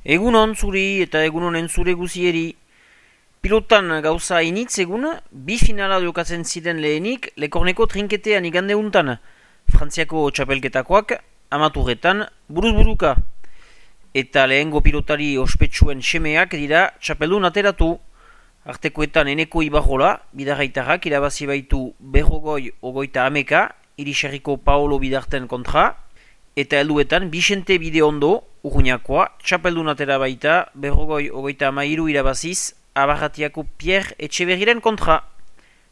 Egunon zuri eta egunonen zure guzieri. Pilotan gauza initz egun, bi finala jokatzen ziren lehenik Lekorneko trinketean igande untan. Frantziako txapelketakoak, amaturretan, buruz-buruka. Eta lehengo pilotari ospetsuen semeak dira txapeldun ateratu. Artekoetan Eneko Ibarrola, bidarraitarrak irabazi baitu berrogoi ogoita ameka, Irisarriko Paolo Bidarten kontra, eta helduetan Bixente Bideondo, Urruñakoa, txapeldun atera baita berrogoi ogoita amairu irabaziz, Abarratiako Pierre Etxeberriren kontra.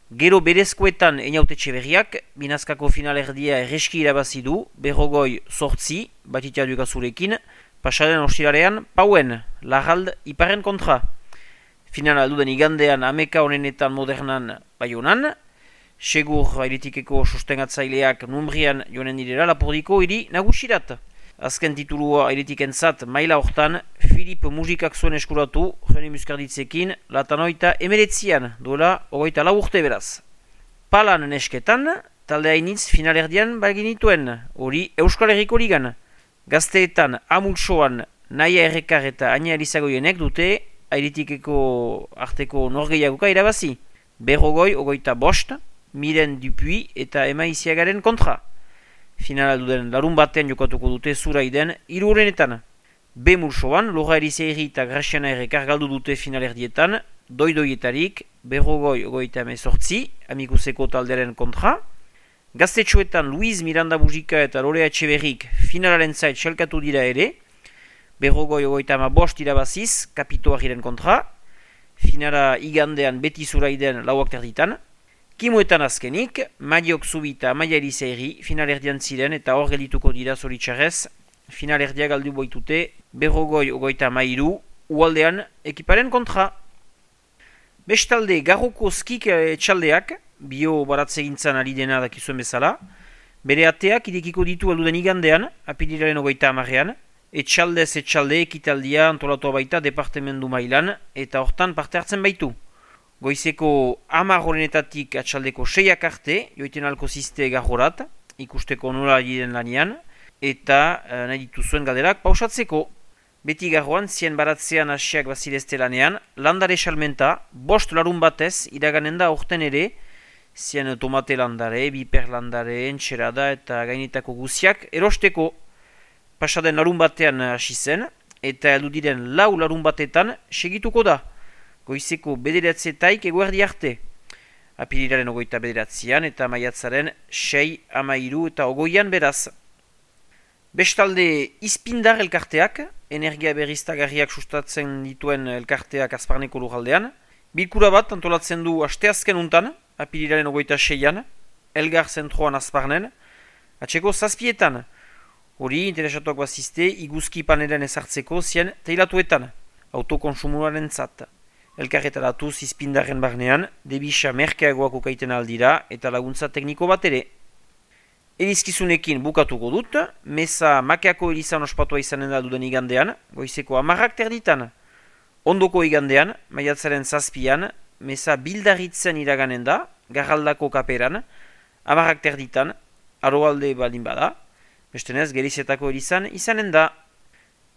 Gero berezkoetan Einaute Etxeberriak, binazkako finalerdia erreski irabazi du, berrogoi sortzi, batitia dukazurekin, pasaren ostiralean Pauen, Larrald Iparen kontra. Finala duden igandean ameka honenetan modernan Baionan, segur airetikeko sostengatzaileak numbrian joanen direla Lapordiko hiri nagusirat. Azken titulua airetikentzat maila hortan, Filip Musikak zuen eskuratu, Joni Muskarditzekin, latanoita emeretzian, duela 24 urte beraz. Palan nesketan, talde hainitz finalerdian baginituen, hori Euskal Herriko ligan. Gazteetan Amultsoan Naia Errekar eta Aina Elizagoienek dute airetikeko arteko norgeiagoka irabazi. Berrogoi ogoita bost, Miren Dupuy eta Ema Iziagaren kontra. Finala duden larun batean jokatuko dute Zuraiden hirurenetan. B Multsoan, Lora Elizeiri eta Graciana Errekar galdu dute finalerdietan, doidoietarik, berrogoi ogoita emezortzi, Amikuseko taldearen kontra. Gaztetxoetan Luis Miranda Bujika eta Lorea Etxeberrik finalaren zait txelkatu dira ere, berrogoi ogoita bost irabaziz, Kapitoarriren kontra. Finala igandean beti Zuraiden lauak terditan. Kimuetan azkenik, Madiok Zubi eta Maia Elizeiri finalerdian ziren eta hor geldituko dira zoritxarrez, finalerdia galdu boitute, berrogoi ogoita amairu, ualdean ekiparen kontra. Bestalde, Garroko skik etxaldeak, bio baratzegintzan ari dena dakizuen bezala, bere ateak irekiko ditu alduden igandean, apirilaren ogoita amarean, etxaldez etxalde ekitaldia antolatua baita departemendu mailan, eta hortan parte hartzen baitu. Goizeko 10 horrenetatik atxaldeko 6ak arte, joiten alko ziste garrorat, ikusteko nola diren lanian, eta nahi dituzuen galderak pausatzeko. Beti garroan, zien baratzean hasiak bazilezte lanean, landare salmenta, 5 larun batez, iraganen da orten ere, zien tomate landare, biper landare, entxerada eta gainetako guziak, erosteko pasaden larun batean hasi zen, eta heldu diren 4 larun batetan segituko da. Goizeko bederatzetaik eguerdi arte. Apirilaren ogoita bederatzean eta maiatzaren 6, amairu eta ogoian beraz. Bestalde Izpindar elkarteak, energia berriztagarriak sustatzen dituen elkarteak Azparneko lurraldean, bilkura bat antolatzen du asteazken untan, apirilaren ogoita 6an, Elgar zentroan Azparnen, atseko 7etan. Hori interesatuak bazizte iguzki panelen ezartzeko zien teilatuetan, autokonsumuaren zat. Elkarretaratu Izpindarren barnean, debisa merkeagoak ukaiten aldira eta laguntza tekniko bat ere. Elizkizunekin bukatuko dut, meza makeako elizan ospatua izanen da duden igandean, goizeko 10ak terditan. Ondoko igandean, maiatzaren 7an, meza bildarritzen iraganen da, garraldako kaperan, 10ak terditan, aroalde baldin bada, bestenez gerizetako elizan izanen da.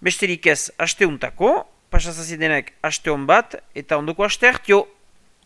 Besterik ez, asteuntako, pasazazidenek aste hon bat eta ondoko aste hartio.